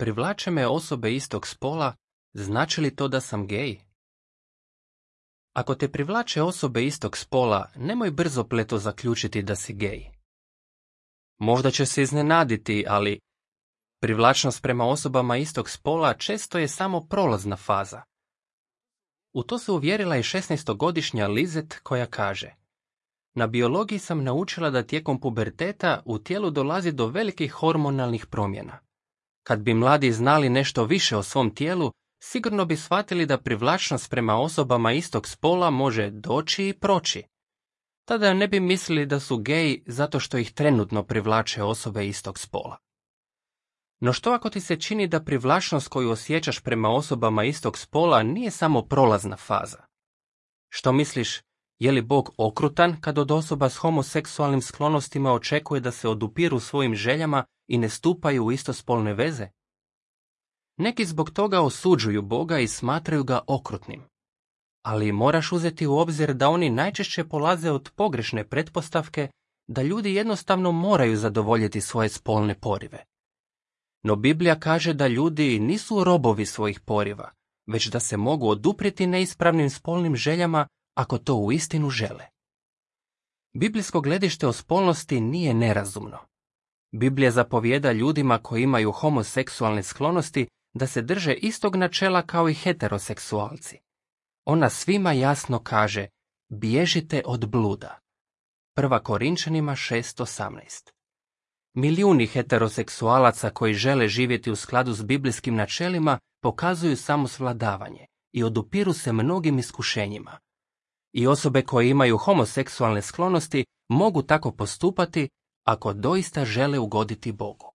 Privlače me osobe istog spola, znači li to da sam gej? Ako te privlače osobe istog spola, nemoj brzopleto zaključiti da si gej. Možda će se iznenaditi, ali privlačnost prema osobama istog spola često je samo prolazna faza. U to se uvjerila i 16-godišnja Lizet koja kaže: na biologiji sam naučila da tijekom puberteta u tijelu dolazi do velikih hormonalnih promjena. Kad bi mladi znali nešto više o svom tijelu, sigurno bi shvatili da privlačnost prema osobama istog spola može doći i proći. Tada ne bi mislili da su geji zato što ih trenutno privlače osobe istog spola. No što ako ti se čini da privlačnost koju osjećaš prema osobama istog spola nije samo prolazna faza? Što misliš, je li Bog okrutan kad od osoba s homoseksualnim sklonostima očekuje da se odupiru svojim željama i ne stupaju u istospolne veze? Neki zbog toga osuđuju Boga i smatraju ga okrutnim. Ali moraš uzeti u obzir da oni najčešće polaze od pogrešne pretpostavke da ljudi jednostavno moraju zadovoljiti svoje spolne porive. No Biblija kaže da ljudi nisu robovi svojih poriva, već da se mogu oduprijeti neispravnim spolnim željama ako to uistinu žele. Biblijsko gledište o spolnosti nije nerazumno. Biblija zapovijeda ljudima koji imaju homoseksualne sklonosti da se drže istog načela kao i heteroseksualci. Ona svima jasno kaže: bježite od bluda. 1. Korinčanima 6:18. Milijuni heteroseksualaca koji žele živjeti u skladu s biblijskim načelima pokazuju samosvladavanje i odupiru se mnogim iskušenjima. I osobe koje imaju homoseksualne sklonosti mogu tako postupati ako doista žele ugoditi Bogu.